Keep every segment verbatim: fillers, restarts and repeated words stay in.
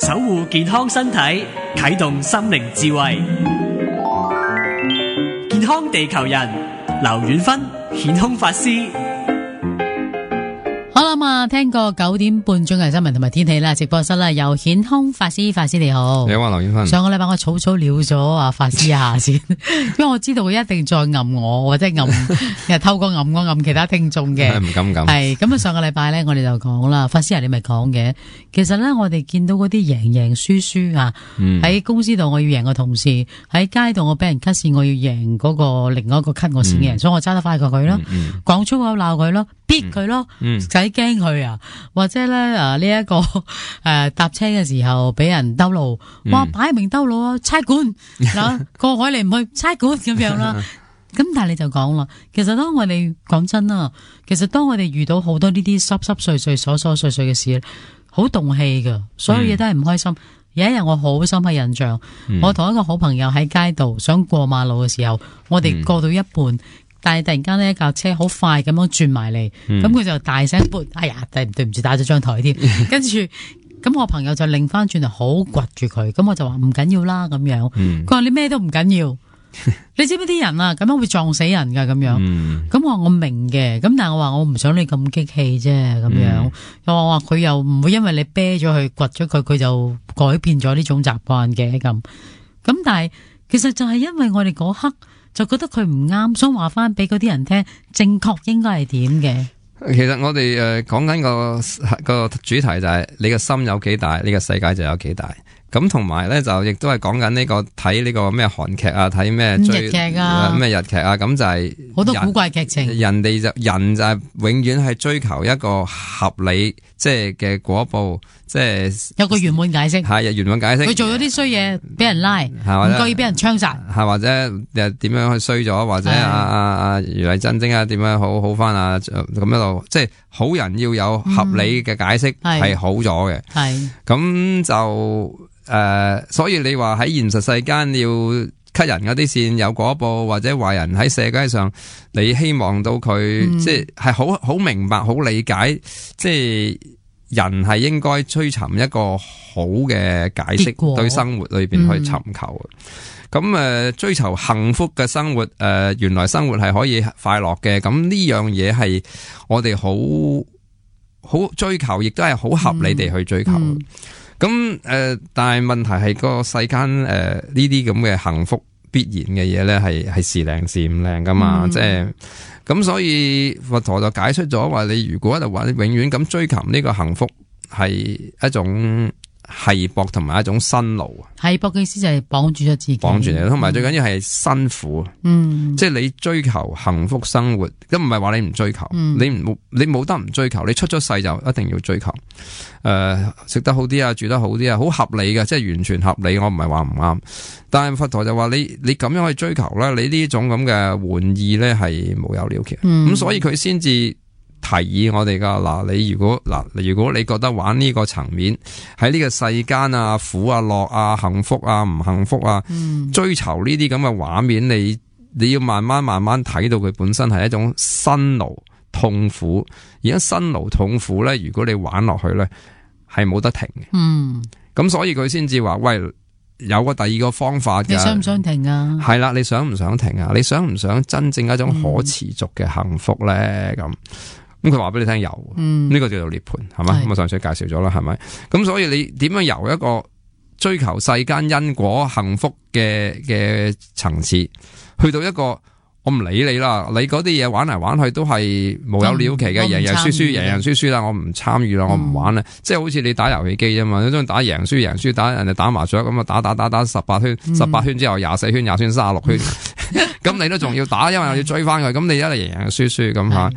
守護健康身體，啟動心靈智慧。健康地球人，劉遠芬顯空法師。好啦嘛，聽過九點半鐘嘅新聞同埋天氣啦，直播室啦，由顯空法師，法師你好。你好啊，劉遠芬。上個禮拜我草草了咗啊，法師一下先，因為我知道佢一定再暗我，或者暗，透過暗我暗其他聽眾嘅。唔敢唔敢。係咁啊！上個禮拜咧，我哋就講啦，法師啊，你咪講嘅。其實咧，我哋見到嗰啲贏贏輸輸啊，喺、嗯、公司度我要贏個同事，喺街度我俾人 cut 線，我要贏嗰個另外一個 cut 我先嘅、嗯，所以我揸得快過佢咯，講、嗯、粗口鬧佢咯，逼佢咯，唔使驚佢啊，或者咧啊呢一、這個誒搭、呃、車嘅時候俾人兜路，哇擺明兜路啊，差館嗱過海嚟唔去差館咁樣啦。咁但係你就講啦，其實當我哋講真啦，其實當我哋遇到好多呢啲濕濕碎碎、瑣瑣碎碎嘅事，好動氣噶，所有嘢都係唔開心。嗯、有一日我好深刻印象，嗯、我同一個好朋友喺街度想過馬路嘅時候，我哋過到一半，嗯、但係突然間呢一架車好快咁樣轉埋嚟，咁、嗯、佢就大聲撥，哎呀，對唔住打咗張台添，跟住咁我朋友就擰翻轉頭好掘住佢，咁我就話唔緊要啦咁樣，佢、嗯、話你咩都唔緊要。你知唔知啲人啊咁樣會撞死人噶咁樣？咁、嗯、我話我明嘅，咁但係我話我唔想你咁激氣啫，咁樣。又話佢又唔會因為你啤咗佢、掘咗佢，佢就改變咗呢種習慣嘅咁。咁但係其實就係因為我哋嗰刻就覺得佢唔啱，想話翻俾嗰啲人聽，正確應該係點嘅。其實我哋誒講緊個個主題就係你個心有幾大，呢、這個世界就有幾大。咁同埋咧就亦都係講緊呢個睇呢個咩韓劇啊，睇咩追日劇啊，咩日劇啊，咁就係好多古怪劇情。人哋就人就係永遠係追求一個合理即係嘅果報，即係有個圓滿解釋。係圓滿解釋。佢做咗啲衰嘢，俾人拉，唔覺意俾人槍殺，係或者又點樣去衰咗，或者阿阿阿余麗珍晶啊點樣好好翻啊咁一路，即係好人要有合理嘅解釋係、嗯、好咗嘅。係咁就。誒、呃，所以你話喺現實世間要 cut 人嗰啲線有果報，或者壞人喺社會上，你希望到佢、嗯、即係係好好明白、好理解，即係人係應該追尋一個好嘅解釋，對生活裏邊去尋求。咁、嗯、誒、呃，追求幸福嘅生活，誒、呃，原來生活係可以快樂嘅。咁呢樣嘢係我哋好好追求，亦都係好合理地去追求。嗯嗯咁誒、呃，但係問題係個世間誒呢啲咁嘅幸福必然嘅嘢咧，係係時靈時唔靈噶嘛，嗯、即係咁，所以佛陀就解釋咗話，你如果就話你永遠咁追求呢個幸福，係一種繫縛同埋一種辛勞。繫縛嘅意思就係綁住咗自己，綁住你，同埋最緊要係辛苦。嗯，即係你追求幸福生活，咁唔係話你唔追求，嗯、你唔你冇得唔追求，你出咗世就一定要追求。誒、呃，食得好啲啊，住得好啲啊，好合理嘅，即係完全合理。我唔係話唔啱，但係佛陀就話你你咁樣去追求咧，你呢種咁嘅玩意咧係無有了期。咁、嗯、所以佢先至提議我哋噶嗱，你如果嗱，如果你覺得玩呢個層面喺呢個世間啊，苦啊、樂啊、幸福啊、唔幸福啊，嗯、追求呢啲咁嘅畫面，你你要慢慢慢慢睇到佢本身係一種辛勞痛苦，而家辛勞痛苦咧，如果你玩落去咧，係冇得停嘅。嗯，咁所以佢先至話喂，有個第二個方法嘅。你想唔想停啊？係啦，你想唔想停啊？你想唔想真正一種可持續嘅幸福咧？咁、嗯。咁佢話俾你聽有，呢、嗯這個叫做涅槃，係咪？咁我上次介紹咗啦，係咪？咁所以你點樣由一個追求世間因果幸福嘅嘅層次，去到一個我唔理你啦，你嗰啲嘢玩嚟玩去都係無有了期嘅，贏贏輸輸，贏贏輸輸啦，我唔參與啦，我唔玩啦，嗯、即係好似你打遊戲機啫嘛，你中意打贏輸贏輸，打人哋打麻雀咁啊，打打打打十八圈，十八圈之後廿四圈，廿圈三十六圈，咁、嗯、你都仲要打，因為我要追翻佢，咁你一係贏贏輸輸咁吓。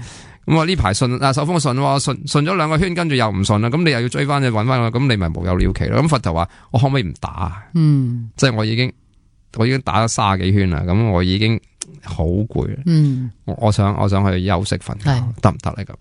咁啊呢排順啊手風順喎，順順咗兩個圈，跟住又唔順啦，咁你又要追翻去搵翻佢，咁你咪無有了期咯。咁佛陀話我可唔可以唔打啊？嗯，即係我已經我已經打咗卅幾圈啦，咁我已經好攰啦。嗯，我我想我想去休息瞓覺，得唔得咧？咁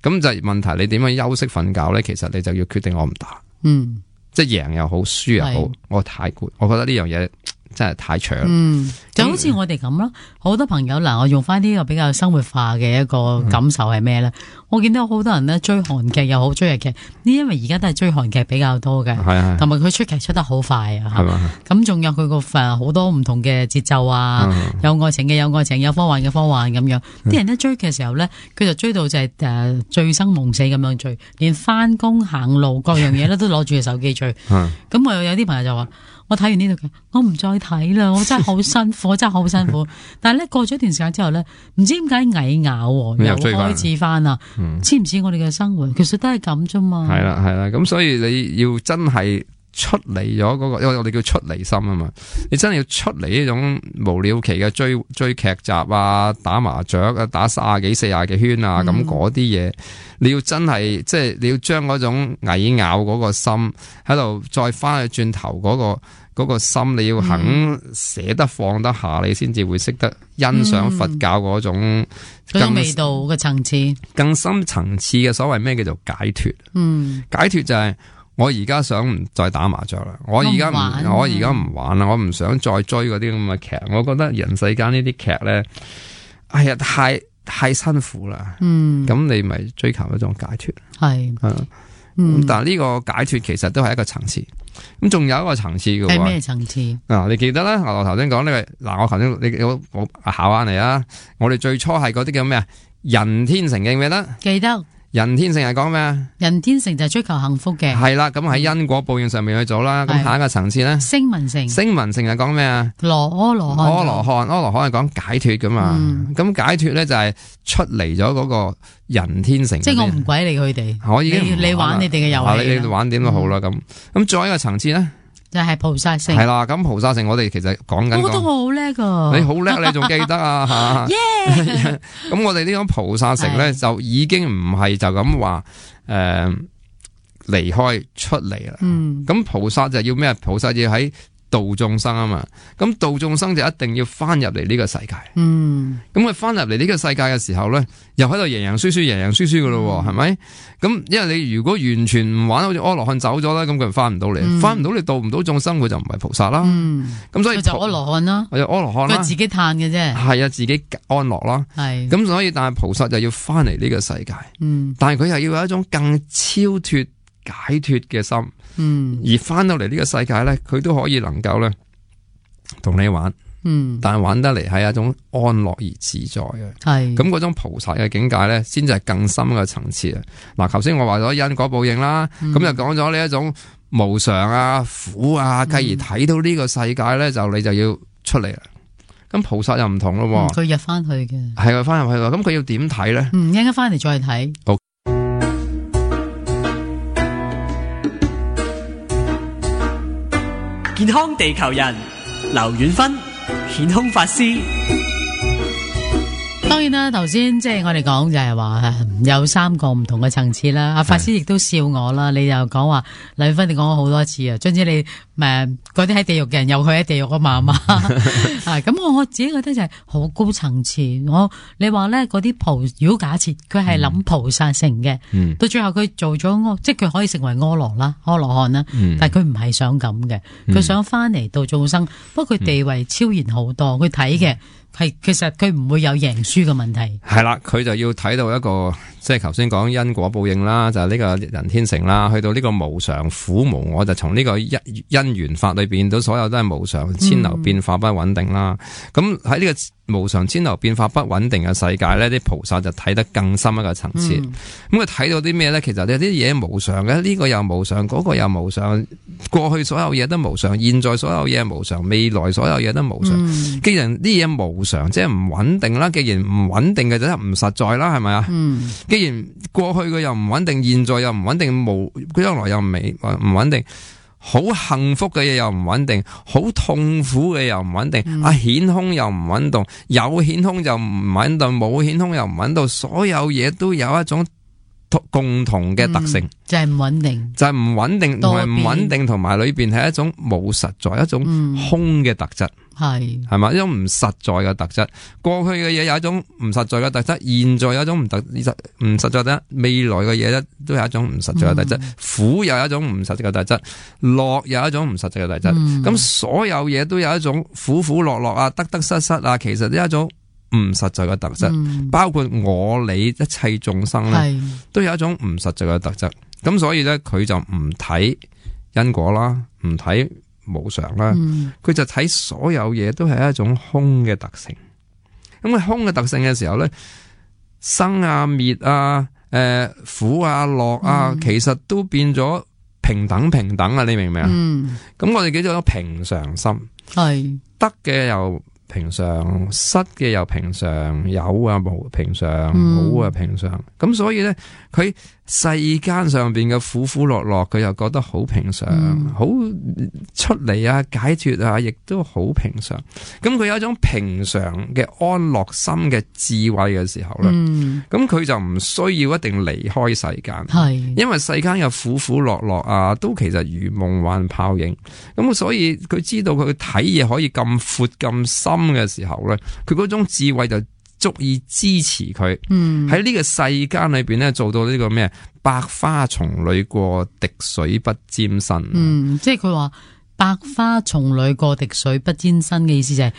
咁就係問題，你點樣休息瞓覺咧？其實你就要決定我唔打。嗯，即係贏又好，輸又好，我太攰，我覺得呢樣嘢真係太長。嗯，就好似我哋咁咯，好多朋友嗱，我用翻呢個比較生活化嘅一個感受係咩咧？嗯、我見到好多人咧追韓劇又好追日劇，呢因為而家都係追韓劇比較多嘅，係同埋佢出劇出得好快啊，係嘛？咁仲有佢個誒好多唔同嘅節奏啊，嗯、有愛情嘅有愛情，有科幻嘅科幻咁樣。啲、嗯、人一追嘅時候咧，佢就追到就係誒醉生夢死咁樣追，連翻工行路各樣嘢咧都攞住個手機追。咁、嗯、我有啲朋友就話。我睇完呢套劇，我唔再睇啦，我真係好辛苦，我真係好辛苦。但係咧過咗一段時間之後咧，唔知點解蟻咬又開始翻啦，似唔似我哋嘅生活？其實都係咁啫嘛。係啦係啦，咁所以你要真係出離咗嗰個，因為我哋叫出離心啊嘛。你真係要出離呢種無了期嘅追追劇集啊，打麻雀啊，打卅幾四廿幾圈啊，咁嗰啲嘢。你要真係即係你要將嗰種蟻咬嗰個心喺度再翻去轉頭嗰個嗰個心，你要肯捨得放得下，你先至會識得欣賞佛教嗰種嗰種味道嘅層次，更深層次嘅所謂咩叫做解脫。嗯，解脫就係我而家想唔再打麻雀啦，我而家唔我而家唔玩啦，我唔想再追嗰啲咁嘅劇。我覺得人世間呢啲劇咧，哎呀太〜太辛苦啦，嗯，咁你咪追求一種解脫，係，係，嗯，但係呢個解脫其實都係一個層次，咁仲有一個層次嘅，係咩層次？啊，你記得啦，我頭先講呢個，嗱，我頭先你我我考下你啊，我哋最初係嗰啲叫咩啊？人天成記唔記得？記得。人天成係講咩啊？人天成就係追求幸福嘅。係啦，咁喺因果報應上面去做啦。咁下一個層次咧，聲聞成。聲聞成係講咩啊？羅阿羅漢。阿羅漢，阿羅漢係講解脫噶嘛？咁、嗯、解脫咧就係出離咗嗰個人天成。即係我唔鬼理佢哋。我已經你玩你哋嘅遊戲。你玩點都好啦，咁、嗯、咁再一個層次咧。就係菩薩性係啦，咁菩薩性我哋其實講緊，我覺得我好叻噶，你好叻，你仲記得啊吓？耶！咁我哋呢種菩薩性咧，就已經唔係就咁話誒離開出嚟啦。嗯，咁菩薩就要咩？菩薩要喺度眾生啊嘛，咁度眾生就一定要翻入嚟呢個世界。嗯，咁佢翻入嚟呢個世界嘅時候咧，又喺度贏贏輸輸，贏贏輸輸噶咯，係咪、嗯？咁因為你如果完全唔玩，好似阿羅漢走咗啦，咁佢翻唔到嚟，翻唔到你度唔到眾生，佢就唔係菩薩啦。嗯，咁所以就阿羅漢啦，或者阿羅漢啦，佢自己嘆嘅啫。係啊，自己安樂啦。係，咁所以但係菩薩就要翻嚟呢個世界。嗯，但係佢又要有一種更超脫解脫嘅心。嗯，而翻到嚟呢個世界咧，佢都可以能夠咧同你玩，嗯，但係玩得嚟係一種安樂而自在嘅，係咁嗰種菩薩嘅境界咧，先至係更深嘅層次啊！嗱，頭先我話咗因果報應啦，咁、嗯、就講咗呢一種無常啊、苦啊，繼而睇到呢個世界咧，就你就要出嚟啦。咁菩薩又唔同咯，佢、嗯、入翻去嘅，係佢翻入去咯。咁佢要點睇咧？嗯，一陣間翻嚟再睇。好。健康地球人劉遠芬顯空法師。當然啦，頭先即係我哋講就係話有三個唔同嘅層次啦。阿法師亦都笑我啦，你又講話劉遠芬，你講咗好多次啊，總之你誒嗰啲喺地獄嘅人有佢喺地獄啊嘛嘛啊，咁我我自己覺得就係好高層次。我你話咧嗰啲菩，如果假設佢係諗菩薩成嘅，嗯、到最後佢做咗即係佢可以成為阿羅啦、阿羅漢啦，嗯、但係佢唔係想咁嘅，佢想翻嚟度眾生。不過佢地位超然好多，佢睇嘅。係，其實佢唔會有贏輸嘅問題。係啦，佢就要睇到一個，即係頭先講因果報應啦，就係、是、呢個人天成啦，去到呢個無常苦無我，就從呢個因因緣法裏邊到所有都係無常，千流變化不穩定啦。咁喺呢個無常千流變化不穩定嘅世界咧，啲菩薩就睇得更深一個層次。咁佢睇到啲咩咧？其實有啲嘢無常嘅，呢、這個又無常，嗰、那個又無常，過去所有嘢都無常，現在所有嘢無常，未來所有嘢都無常。嗯、既然啲嘢無常，即係唔穩定啦。既然唔穩定嘅就係唔實在啦，係咪啊？嗯。既然過去嘅又唔穩定，現在又唔穩定，無將來又唔未唔穩定。好幸福嘅嘢又唔穩定，好痛苦嘅又唔穩定，嗯、啊顯空又唔穩定，有顯空就唔穩定，冇顯空又唔穩定，所有嘢都有一種共同嘅特性，嗯、就係唔穩定，就係唔穩定同埋唔穩定，同埋裏邊係一種冇實在，一種空嘅特質，係係嘛，一種唔實在嘅特質。過去嘅嘢有一種唔實在嘅特質，現在有一種唔特唔實在嘅，未來嘅嘢咧都有一種唔實在嘅特質。嗯、苦又有一種唔實在嘅特質，樂又有一種唔實在嘅特質。咁、嗯、所有嘢都有一種苦苦樂樂啊，得得失失啊，其實都有一種唔實在嘅特質，嗯、包括我你一切眾生咧，都有一種唔實在嘅特質。咁所以咧，佢就唔睇因果啦，唔睇無常啦，佢、嗯、就睇所有嘢都係一種空嘅特性。咁佢空嘅特性嘅時候咧，生啊滅啊，誒、呃、苦啊樂啊，嗯、其實都變咗平等平等啊！你明唔明啊？咁、嗯、我哋叫做平常心，係得嘅又平常，失嘅又平常，有啊冇平常，冇啊平常。咁、嗯、所以咧，佢世間上邊嘅苦苦樂樂，佢又覺得好平常，好、嗯、出嚟啊解脫啊，亦都好平常。咁佢有一種平常嘅安樂心嘅智慧嘅時候咧，咁佢、嗯、就唔需要一定離開世間，係是因為世間嘅苦苦樂樂啊，都其實如夢幻泡影。咁所以佢知道佢睇嘢可以咁闊咁深嘅時候咧，佢嗰種智慧就足以支持佢喺呢個世間裏邊咧做到呢個咩百花叢裏過，滴水不沾身。嗯，即係佢話百花叢裏過，滴水不沾身嘅意思就係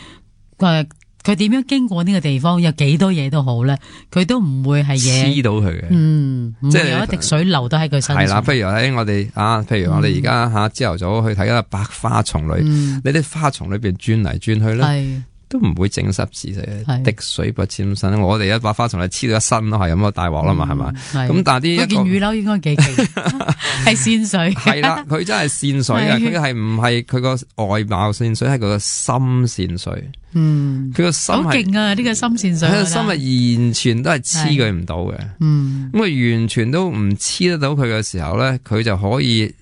誒，佢點樣經過呢個地方，有幾多嘢都好咧，佢都唔會係嘢黐到佢嘅。嗯，即係有一滴水流到喺佢身上。係啦，譬如喺我哋啊，譬如我哋而家吓朝頭早去睇一個百花叢裏，嗯、你啲花叢裏邊轉嚟轉去咧。係都唔會整濕自己，滴水不沾身。我哋一把花叢嚟黐到一身咯，係咁啊大鑊啦嘛，係嘛？咁但係啲一件雨褸應該幾勁，係線水。係啦，佢真係線水啊！佢係唔係佢個外貌線水，係佢個心線水。嗯，佢個心好勁啊！呢個心線水，佢個心係完全都係黐佢唔到嘅。嗯，咁佢完全都唔黐得到佢嘅時候咧，佢就可以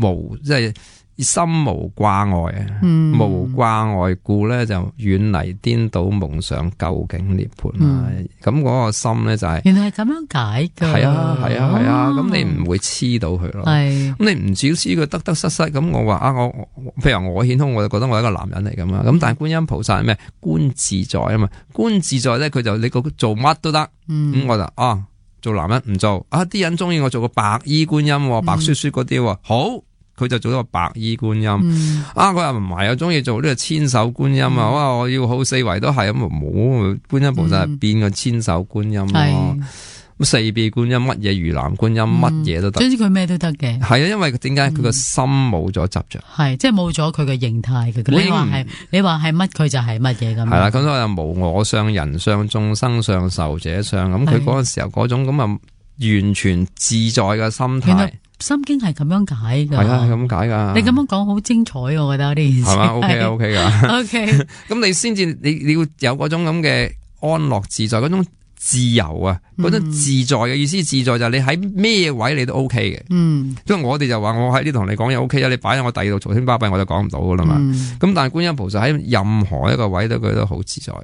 無即係。心無掛礙啊，嗯、無掛礙故咧就遠離顛倒夢想，究竟涅槃啦。咁嗰、嗯、個心咧就係、是、原來係咁樣解噶。係啊係啊係啊，咁、啊啊、你唔會黐到佢咯。係咁是你唔只黐佢得得失失。咁我話啊，我譬如我顯空，我就覺得我係一個男人嚟噶嘛。咁但係觀音菩薩係咩？觀自在啊嘛。觀自在咧，佢就你個做乜都得。咁、嗯、我就啊做男人唔做啊，啲人中意我做個白衣觀音，白雪雪嗰啲好。佢就做咗個白衣觀音，嗯、啊！佢又唔係，我中意做呢個千手觀音啊！哇、嗯！我要好四圍都係咁，冇觀音菩薩係變個千手觀音咯，咁、嗯、四臂觀音乜嘢魚籃觀音乜嘢、嗯、都得，總之佢咩都得嘅。係啊，因為點解佢個心冇咗執着，係即係冇咗佢嘅形態嘅。你話係你話係乜，佢就係乜嘢咁。係啦，咁所以無我相、人相、眾生相、壽者相，咁佢嗰個時候嗰種咁啊，完全自在嘅心態。心經係咁樣解噶，係啊，係咁解噶。你咁樣講好精彩，我覺得呢件事係嘛 ？OK 啊，OK 噶，OK。咁你先至，你你要有嗰種咁嘅安樂自在，嗰種自由啊，嗰種自在嘅意思，自在就係你喺咩位你都 OK 嘅。嗯，因為我哋就話我喺呢同你講嘢 OK 啊，你擺喺我第二度嘈天巴閉我就講唔到噶啦嘛。咁、嗯、但係觀音菩薩喺任何一個位都佢都好自在嘅。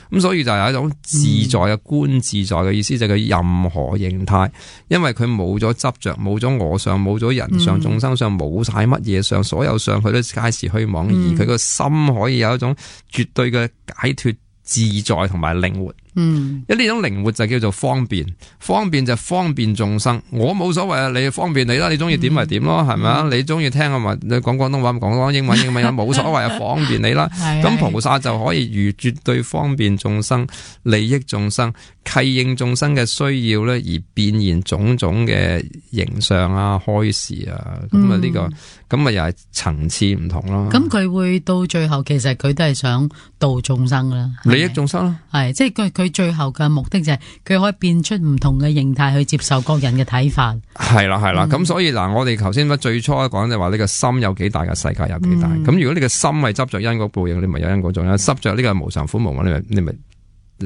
咁所以就有一種自在嘅觀自在嘅意思，就係佢任何形態，因為佢冇咗執着，冇咗我相，冇咗人相、眾生相，冇晒乜嘢相，所有相佢都皆是虛妄，嗯、而佢個心可以有一種絕對嘅解脫、自在同埋靈活。嗯，因為呢種靈活就叫做方便，方便就方便眾生。我冇所謂啊，你方便你啦，你中意點咪點咯，係咪啊？你中意聽啊嘛，你講廣東話咪講講英文英文冇所謂啊，方便你啦。咁菩薩就可以如絕對方便眾生、利益眾生、契應眾生嘅需要咧，而變現種種嘅形象啊、開示啊，咁啊呢個咁啊又係層次唔同咯。咁佢會到最後，其實佢都係想度眾生啦，利益眾生咯，係即係佢佢。最後嘅目的就係佢可以變出唔同嘅形態去接受各人嘅睇法。係啦係啦，咁、嗯、所以嗱，我哋頭先最初講就話呢個心有幾大嘅世界有幾大。咁、嗯、如果你個心係執着因果報應，你咪有因果種；執着呢個無常苦無我，你咪你咪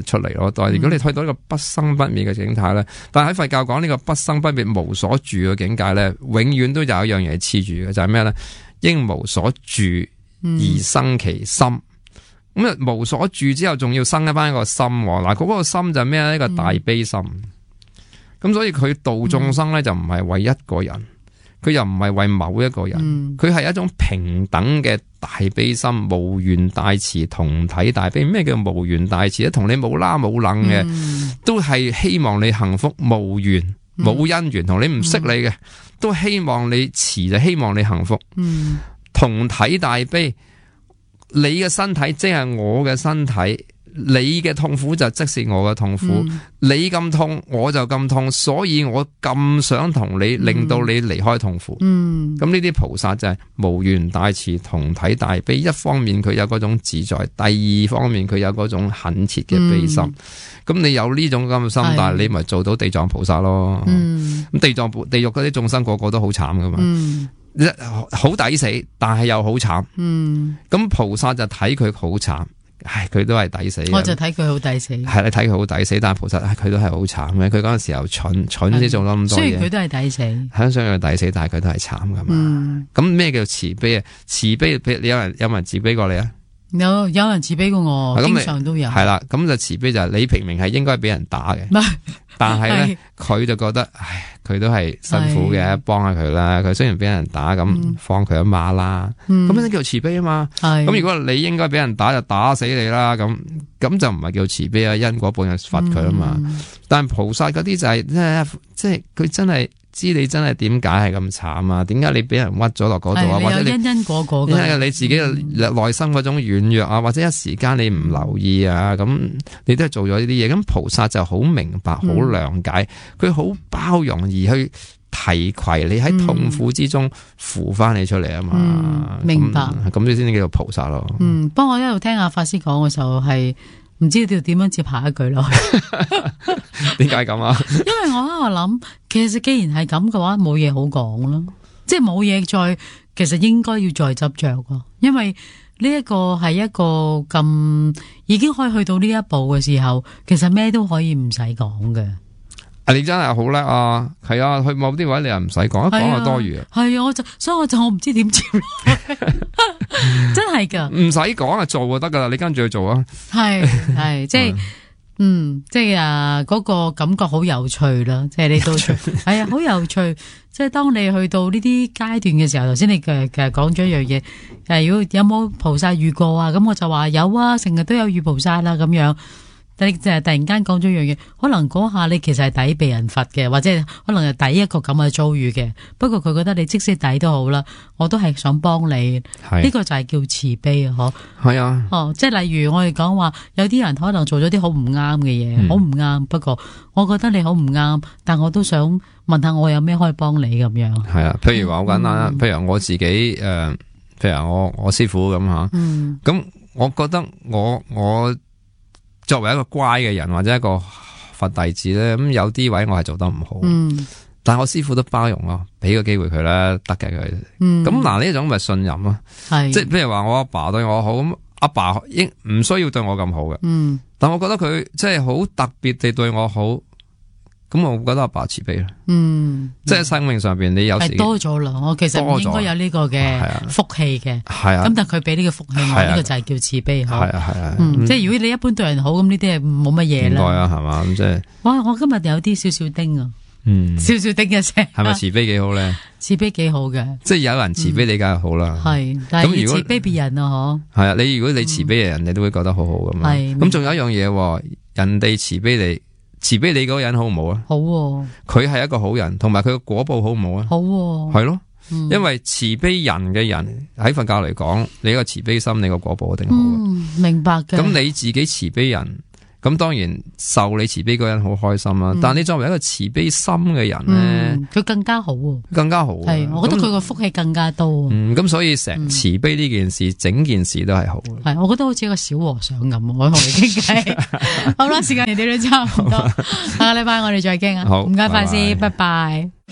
出嚟咯。但係如果你睇到呢個不生不滅嘅境態咧，但係喺佛教講呢個不生不滅無所住嘅境界咧，永遠都有一樣嘢黐住嘅，就係咩咧？應無所住而生其心。嗯咁啊，無所住之後，仲要生一翻一個心。嗱，嗰個心就係咩咧？一個大悲心。咁、嗯、所以佢度眾生咧，就唔係為一個人，佢又唔係為某一個人，佢係、嗯、一種平等嘅大悲心，無緣大慈，同體大悲。咩叫無緣大慈咧？同你冇啦冇楞嘅，嗯、都係希望你幸福。無緣冇因緣，同你唔識你嘅，嗯、都希望你慈，就希望你幸福。嗯、同體大悲。你嘅身體即係我嘅身體，你嘅痛苦就即是我嘅痛苦，嗯、你咁痛我就咁痛，所以我咁想同你、嗯、令到你離開痛苦。嗯，咁呢啲菩薩就係無緣大慈，同體大悲。一方面佢有嗰種自在，第二方面佢有嗰種懇切嘅悲心。咁、嗯、你有呢種咁嘅心，但係你咪做到地藏菩薩咯。嗯，咁地藏地獄嗰啲眾生個個都好慘噶嘛。嗯，好抵死，但係又好慘。嗯，咁菩薩就睇佢好慘。唉，佢都係抵死。我就睇佢好抵死。係你睇佢好抵死，但係菩薩佢都係好慘嘅。佢嗰陣時候蠢，蠢先做咗咁多嘢。雖然佢都係抵死，係雖然佢抵死，但係佢都係慘噶嘛。咁咩、嗯、叫慈悲啊？慈悲，你有人有冇人慈悲過你啊？有有人慈悲過我，經常都有。係啦，咁就慈悲就係你明明係應該俾人打嘅，但係咧佢就覺得，唉，佢都係辛苦嘅，幫下佢啦。佢雖然俾人打，咁、嗯、放佢一馬啦。咁樣、嗯、叫慈悲啊嘛。咁如果你應該俾人打，就打死你啦。咁咁就唔係叫慈悲啊，因果報應罰佢啊嘛。嗯、但係菩薩嗰啲就係、是、即係佢真係。知你真係點解係咁慘啊？點解你俾人屈咗落嗰度啊？或者你因因果果嘅，因為你自己嘅內心嗰種軟弱啊，或者一時間你唔留意啊，咁你都係做咗呢啲嘢。咁菩薩就好明白、好諒解，佢好、嗯、包容而去提攜你喺痛苦之中扶翻你出嚟啊嘛、嗯。明白。咁你先至叫做菩薩咯。嗯，不過我一路聽阿法師講嘅時候係。唔知道點樣接下一句咯？點解咁啊？因為我喺度諗，其實既然係咁嘅話，冇嘢好講咯，即係冇嘢再，其實應該要再執着咯。因為呢一個係一個咁已經可以去到呢一步嘅時候，其實咩都可以唔使講嘅。啊！你真係好叻啊！係啊，去某啲位你又唔使講，一講就多餘。係啊，我就所以我就我唔知點接落去，真係噶，唔使講啊，做就得噶啦，你跟住去做啊。係係即係，嗯，即係啊，嗰個感覺好有趣啦，即係你都係啊，好有趣。即係當你去到呢啲階段嘅時候，頭先你其實其實講咗一樣嘢，誒，如果有冇菩薩遇過啊？咁我就話有啊，成日都有遇菩薩啦，咁樣。你就係突然間講咗一樣嘢，可能嗰下你其實係抵被人罰嘅，或者可能係抵一個咁嘅遭遇嘅。不過佢覺得你即使抵都好啦，我都係想幫你。呢是個就係叫慈悲啊！嗬，係啊。哦，即係例如我哋講話，有啲人可能做咗啲好唔啱嘅嘢，好唔啱。不過我覺得你好唔啱，但我都想問下我有咩可以幫你咁樣。係啊，譬如話好簡單啦，嗯、譬如我自己誒、呃，譬如我我師傅咁吓，咁、嗯、我覺得我我。作為一個乖嘅人或者一個佛弟子咧，咁有啲位我係做得唔好，嗯、但係我師父都包容咯，俾個機會佢啦，得嘅佢。咁嗱呢種咪信任咯，是即係譬如話我阿爸對我好，咁阿爸應唔需要對我咁好嘅，嗯、但我覺得佢即係好特別地對我好。咁我覺得阿爸慈悲啦，嗯，即係生命上邊你有時多咗啦，我其實唔應該有呢個嘅福氣嘅，係啊，咁但係佢俾呢個福氣我，呢個就係叫慈悲，係啊係啊，即係如果你一般對人好，咁呢啲係冇乜嘢啦，應該啊係嘛，咁即係，哇，我今日有啲少少叮啊，嗯，少少叮嘅聲，係咪慈悲幾好咧？慈悲幾好嘅，即係有人慈悲你梗係好啦，係，但係要慈悲別人啊，嗬，係啊，你如果你慈悲嘅人，你都會覺得好好咁嘛，係，咁仲有一樣嘢，人哋慈悲你。慈悲你嗰個人好唔好啊？好，佢係一個好人，同埋佢個果報好唔好啊？好，係咯，嗯、因為慈悲人嘅人喺佛教嚟講，你個慈悲心，你個果報一定好嘅、嗯。明白嘅。咁你自己慈悲人，咁當然受你慈悲嗰個人好開心啦。嗯、但係你作為一個慈悲心嘅人咧，佢、嗯、更加好，更加好。係，我覺得佢個福氣更加多。嗯，咁所以成慈悲呢件事，嗯、整件事都係好。係，我覺得好似一個小和尚咁，我同你傾偈。好啦，時間嚟到都差唔多，下個禮拜我哋再傾啊。好，唔該，法師，拜拜。